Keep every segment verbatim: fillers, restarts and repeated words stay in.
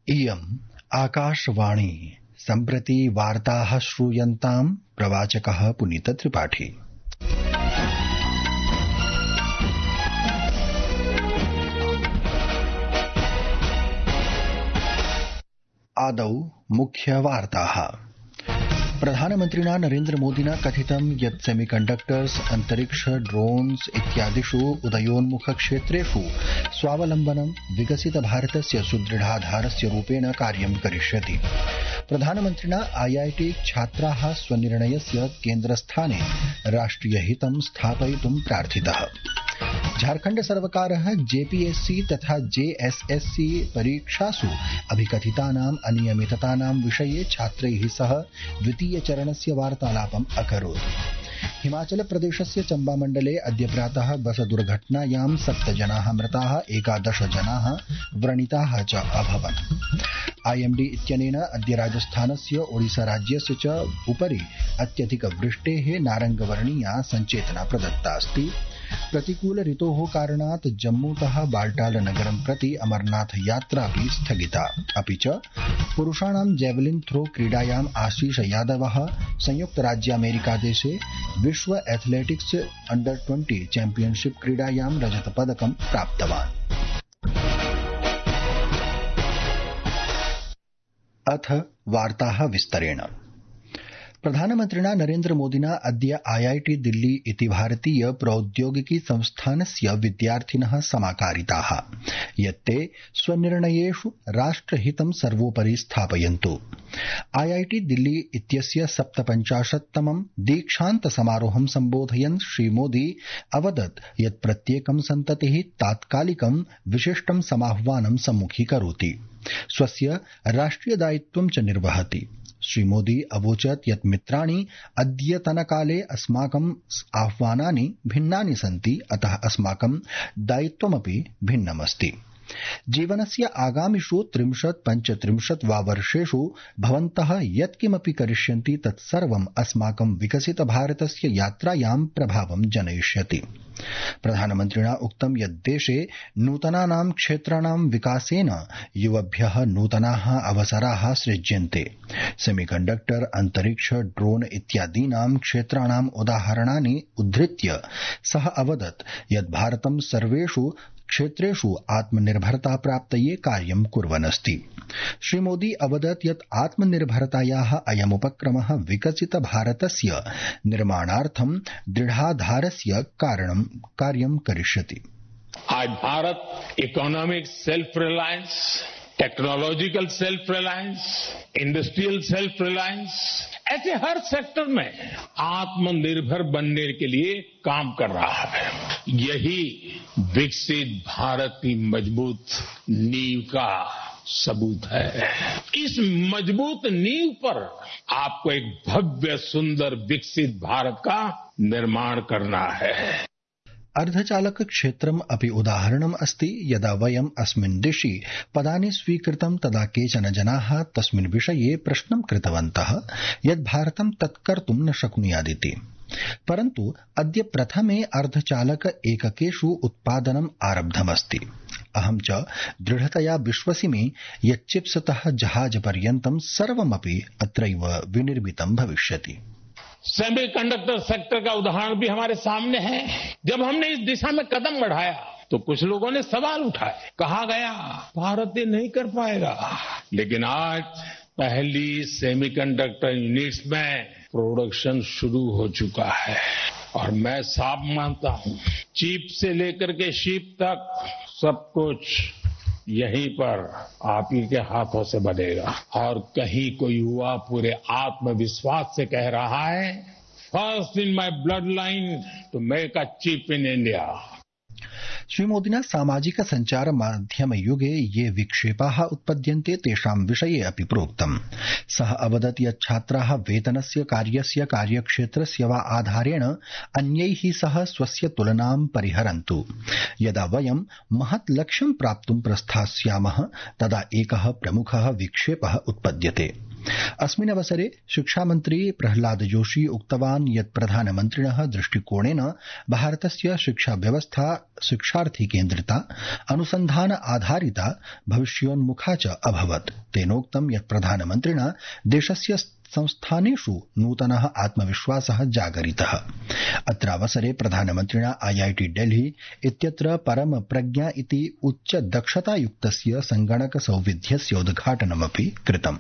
इयम् आकाशवाणी सम्प्रति वार्ताः श्रूयन्ताम् प्रवाचकः पुनीत त्रिपाठी। आदौ मुख्यवार्ताः। प्रधानमन्त्रिणा नरेन्द्रमोदिना कथितं यत् सेमीकण्डक्टर्स् अन्तरिक्ष ड्रोन्स् इत्यादिषु उदयोन्मुखक्षेत्रेषु स्वावलम्बनं विकसित भारतस्य सुदृढाधारस्य रूपेण कार्यं करिष्यति। प्रधानमन्त्रिणा आईआईटी छात्राः स्वनिर्णयस्य केन्द्रस्थाने राष्ट्रियहितं स्थापयितुं प्रार्थितः। झारखण्ड सर्वकारः जेपीएससी तथा जेएसएससी परीक्षासु अभिकथितानाम् अनियमिततानां विषये छात्रैः सह द्वितीय चरणस्य वार्तालापम् अकरोत्। हिमाचल प्रदेशस्य चम्बा मण्डले अद्य प्रातः बस दुर्घटनायां सप्त जनाः मृताः, एकादश जनाः व्रणिताः च अभवन्। आईएमडी इत्यनेन अद्य राजस्थानस्य ओडिसा राज्यस्य च उपरि अत्यधिक वृष्टेः नारङ्गवर्णीया सञ्चेतना प्रदत्ता अस्ति। प्रतिकूल ऋतोः कारणात् जम्मूतः बाल्टाल नगरं प्रति अमरनाथ यात्रापि स्थगिता। अपि च पुरुषाणां जैवलिन थ्रो क्रीडायाम् आशीष यादवः संयुक्त राज्यामेरिकादेशे विश्व एथलेटिक्स अंडर ट्वेंटी चैंपियनशिप क्रीडायां रजतपदकं प्राप्तवान्। अथ वार्ताः विस्तरेण। प्रधानमन्त्रिणा नरेन्द्रमोदिना अद्य आईआईटी दिल्ली इति भारतीय प्रौद्योगिकी संस्थानस्य विद्यार्थिनः समाकारिताः यत् ते स्वनिर्णयेषु राष्ट्रहितं सर्वोपरि स्थापयन्तु। आईआईटी दिल्ली इत्यस्य सप्तपञ्चाशत्तमं दीक्षान्त समारोहं सम्बोधयन् श्रीमोदी अवदत् यत् प्रत्येकं सन्ततिः तात्कालिकं विशिष्टं समाह्वानं सम्मुखीकरोति, स्वस्य राष्ट्रियदायित्वं च निर्वहति। श्रीमोदी अवोचत् यत् मित्राणि अद्यतनकाले अस्माकम् आह्वानानि भिन्नानि सन्ति, अतः अस्माकं दायित्वमपि भिन्नमस्ति। जीवनस्य आगामिषु त्रिंशत् पञ्चत्रिंशत् वा वर्षेषु भवन्तः यत्किमपि करिष्यन्ति तत्सर्वम् अस्माकं विकसित भारतस्य यात्रायां प्रभावं जनयिष्यति। प्रधानमन्त्रिणा उक्तं यत् देशे नूतनानां क्षेत्राणां विकासेन युवभ्यः नूतनाः अवसराः सृज्यन्ते। सेमीकण्डक्टर, अन्तरिक्ष, ड्रोन इत्यादीनां क्षेत्राणाम् उदाहरणानि उद्धृत्य सः अवदत् यत् भारतं सर्वेषु क्षेत्रेषु आत्मनिर्भरता प्राप्तये कार्यं कुर्वन् अस्ति। श्रीमोदी अवदत् यत् आत्मनिर्भरतायाः अयमुपक्रमः विकसित भारतस्य निर्माणार्थं दृढाधारस्य कारणं कार्यं करिष्यति। आज Bharata economic self reliance, technological self reliance, industrial self reliance, ऐसे हर सेक्टर में आत्मनिर्भर बनने के लिए काम कर रहा है। यही विकसित भारत की मजबूत नींव का सबूत है। इस मजबूत नींव पर आपको एक भव्य सुंदर विकसित भारत का निर्माण करना है। अर्धचालक क्षेत्रम् अपि उदाहरणम् अस्ति। यदा वयम् अस्मिन् दिशि पदानि स्वीकृतं तदा केचन जनाः तस्मिन् विषये प्रश्नं कृतवन्तः यत् भारतं तत् कर्तुं न शक्नुयादिति, परन्तु अद्य प्रथमे अर्धचालक एककेषु उत्पादनम् आरब्धमस्ति। अहं च दृढतया विश्वसिमि यत् चिप्सतः जहाजपर्यन्तं सर्वमपि अत्रैव विनिर्मितं भविष्यति। सेमीकंडक्टर सेक्टर का उदाहरण भी हमारे सामने है। जब हमने इस दिशा में कदम बढ़ाया तो कुछ लोगों ने सवाल उठाए, कहा गया भारत ये नहीं कर पाएगा, लेकिन आज पहली सेमीकंडक्टर यूनिट्स में प्रोडक्शन शुरू हो चुका है और मैं साफ मानता हूं चिप से लेकर के शिप तक सब कुछ यहीं पर आप ही के हाथों से बनेगा। और कहीं कोई युवा पूरे आत्मविश्वास से कह रहा है, first in my blood line to make a chip in India. श्रीमोदिना सामाजिक सञ्चार माध्यम युगे ये विक्षेपाः उत्पद्यन्ते तेषां विषये अपि प्रोक्तम्। सः अवदत् यत् छात्राः वेतनस्य, कार्यस्य, कार्यक्षेत्रस्य वा आधारेण अन्यैः सह स्वस्य तुलनां परिहरन्तु। यदा वयं महत् लक्ष्यं प्राप्तुं प्रस्थास्यामः तदा एकः प्रमुखः विक्षेपः उत्पद्यते। अस्मिन् अवसरे शिक्षामन्त्री प्रह्लाद जोशी उक्तवान् यत् प्रधानमन्त्रिणः दृष्टिकोणेन भारतस्य शिक्षा व्यवस्था शिक्षार्थी केन्द्रिता अनुसन्धान आधारिता भविष्योन्मुखा च अभवत्। तेनोक्तं यत् प्रधानमन्त्रिणा देशस्य संस्थानेषु नूतनः आत्मविश्वासः जागरितः। अत्रावसरे प्रधानमन्त्रिणा आईआईटी दिल्ली इत्यत्र परम प्रज्ञा इति उच्च दक्षतायुक्तस्य संगणक सौविध्यस्य उद्घाटनमपि कृतम्।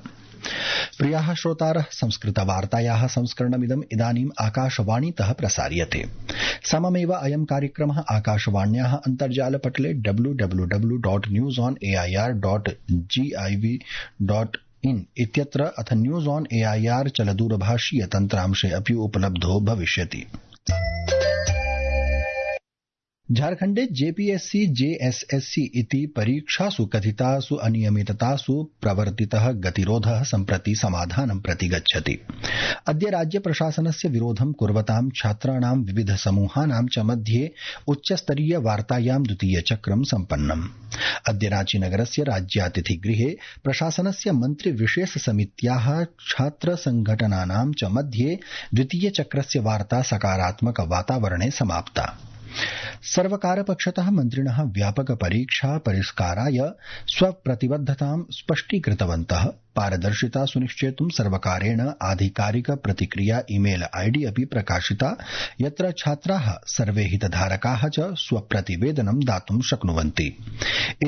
प्रियाः श्रोतारः, संस्कृतवार्तायाः संस्करणमिदम् इदानीम् आकाशवाणीतः प्रसार्यते। सममेव अयं कार्यक्रमः आकाशवाण्याः अन्तर्जालपटले W W W dot news on AIR dot gov dot in इत्यत्र अथ न्यूज ऑन एआईआर चलदूरभाषीय तन्त्रांशे अपि उपलब्धो भविष्यति। झारखण्डे जेपीएससी जेएसएससी इति परीक्षासु कथितासु अनियमिततासु प्रवर्तितः गतिरोधः सम्प्रति समाधानं प्रति गच्छति। अद्य राज्य प्रशासनस्य विरोधं कुर्वतां छात्राणां विविध समूहानां च मध्ये उच्चस्तरीय वार्तायां द्वितीय चक्रं सम्पन्नम्। अद्य रांचीनगरस्य राज्यातिथिगृहे प्रशासनस्य मन्त्रि विशेष समित्याः छात्र संघटनानां च मध्ये द्वितीय चक्रस्य वार्ता सकारात्मक वातावरणे समाप्ता। सर्वकारपक्षतः मन्त्रिणः व्यापक परीक्षा परिष्काराय स्वप्रतिबद्धतां स्पष्टीकृतवन्तः। पारदर्शिता सुनिश्चेतुं सर्वकारेण आधिकारिक प्रतिक्रिया ईमेल आईडी अपि प्रकाशिता, यत्र छात्राः सर्वे हितधारकाः च स्वप्रतिवेदनं दातुं शक्नुवन्ति।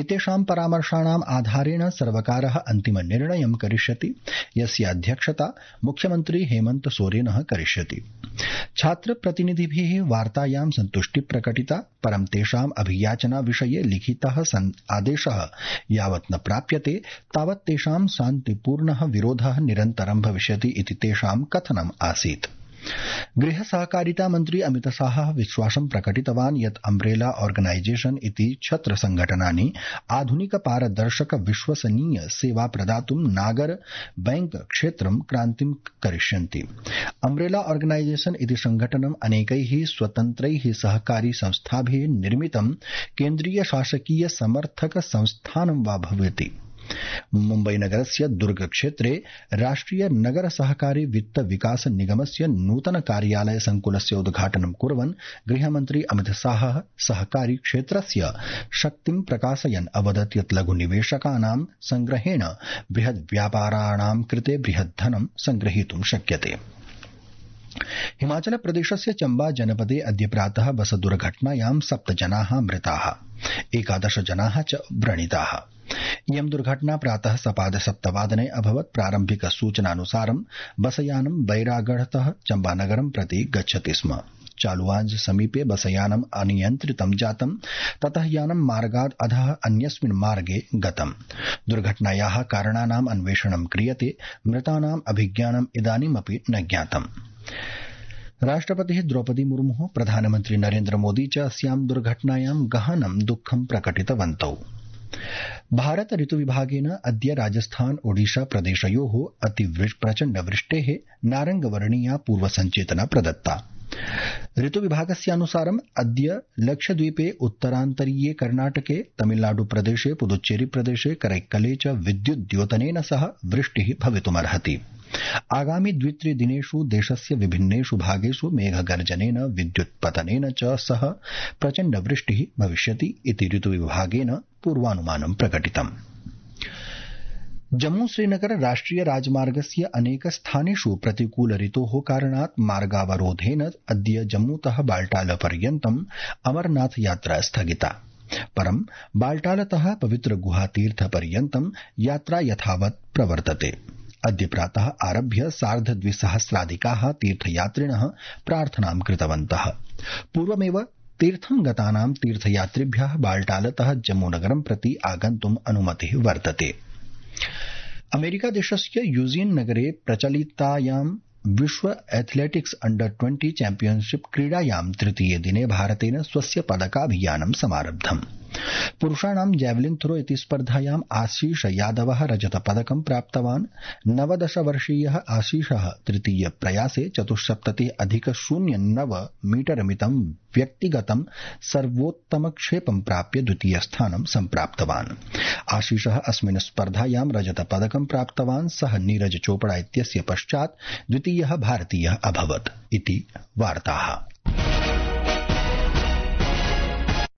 एतेषां परामर्शाणाम् आधारेण सर्वकारः अन्तिमनिर्णयं करिष्यति, यस्य अध्यक्षता मुख्यमन्त्री हेमन्त सोरेनः करिष्यति। छात्रप्रतिनिधिभिः वार्तायां सन्तुष्टि प्रकटिता, परं तेषाम् अभियाचना विषये लिखितः आदेशः यावत् न प्राप्यते तावत् तेषां शान्तिपूर्णः विरोधः निरन्तरं भविष्यति इति तेषां कथनम् आसीत्। गृह सहकारिता मन्त्री अमित शाहः विश्वासं प्रकटितवान् यत् अम्ब्रेला ऑर्गनाइजेशन इति छत्र संघटनानि आधुनिक पारदर्शक विश्वसनीय सेवा प्रदातुं नागर बैंक क्षेत्रं क्रान्तिं करिष्यन्ति। अम्ब्रेला ऑर्गनाइजेशन इति संघटनम् अनेकैः स्वतन्त्रैः सहकारी संस्थाभिः निर्मितं केन्द्रीय शासकीय समर्थक संस्थानं वा भवति। मुम्बईनगरस्य दुर्ग क्षेत्रे राष्ट्रिय नगर सहकारी वित्त विकास निगमस्य नूतन कार्यालय संकुलस्य उद्घाटनं कुर्वन् गृहमन्त्री अमित शाहः सहकारी क्षेत्रस्य शक्तिं प्रकाशयन् अवदत् यत् लघुनिवेशकानां संग्रहेण बृहद् व्यापाराणां कृते बृहत् धनं संग्रहीतुं शक्यते। हिमाचल प्रदेशस्य चम्बा जनपदे अद्य प्रातः बस दुर्घटनायां सप्त जनाः मृताः, एकादश जनाः च व्रणिताः। इयं दुर्घटना प्रातः सपाद सप्तवादने अभवत्। प्रारम्भिक सूचनानुसारं बसयानं बैरागढ़तः चम्बानगरं प्रति गच्छति स्म। चालुवांज समीपे बसयानम् अनियन्त्रितं जातं, ततः यानं मार्गाद् अधः अन्यस्मिन् मार्गे गतम्। दुर्घटनायाः कारणानाम् अन्वेषणं क्रियते। मृतानाम् अभिज्ञानम् इदानीमपि न ज्ञातम्। राष्ट्रपतिः द्रौपदी मुर्मुः प्रधानमन्त्री नरेन्द्र मोदी च अस्यां दुर्घटनायां गहनं दुःखं प्रकटितवन्तौ। भारत ऋतुविभागेन अद्य राजस्थान ओडिशा प्रदेशयोः अति प्रचण्ड वृष्टेः नारंगवर्णीया पूर्वसञ्चेतना प्रदत्ता। ऋतुविभागस्यानुसारम् अद्य लक्षद्वीपे, उत्तरान्तरीये कर्णाटके, तमिलनाडु प्रदेशे, पुदुच्चेरी प्रदेशे, करैक्कले च विद्युद्योतनेन सह वृष्टिः भवितुमर्हति। आगामि द्वित्रिदिनेषु देशस्य विभिन्नेषु भागेषु मेघगर्जनेन, विद्युत्पतनेन च सह प्रचण्ड वृष्टिः भविष्यति इति ऋतुविभागेन पूर्वानुमानं प्रकटितम्। जम्मू श्रीनगर राष्ट्रिय राजमार्गस्य अनेक स्थानेषु प्रतिकूल ऋतोः कारणात् मार्गावरोधेन अद्य जम्मूतः बाल्टाल पर्यन्तम् अमरनाथ यात्रा स्थगिता। परं बाल्टालतः पवित्र गुहातीर्थ पर्यन्तं यात्रा यथावत् प्रवर्तते। अद्य प्रातः आरभ्य सार्ध द्विसहस्राधिकाः तीर्थयात्रिणः प्रार्थनां कृतवन्तः। पूर्वमेव तीर्थं गतानां तीर्थयात्रिभ्यः बाल्टालतः जम्मूनगरं प्रति आगन्तुम् अनुमतिः वर्तते। अमेरिकादेशस्य यूजियन नगरे प्रचलितायां विश्व एथलेटिक्स अंडर ट्वेंटी चैंपियनशिप क्रीडायां तृतीये दिने भारतेन स्वस्य पदकाभियानं समारब्धम्। पुरुषाणां जैवलिन थ्रो इति स्पर्धायाम् आशीष यादवः रजतपदकं प्राप्तवान्। नवदश वर्षीयः आशीषः तृतीय प्रयासे चतुस्सप्ततिः अधिक शून्य नव मीटर मितं व्यक्तिगतं सर्वोत्तमक्षेपं प्राप्य द्वितीयस्थानं सम्प्राप्तवान्। आशीषः अस्मिन् स्पर्धायां रजतपदकं प्राप्तवान्। सः नीरज चोपड़ा इत्यस्य पश्चात् द्वितीयः भारतीयः अभवत् इति वार्ताः।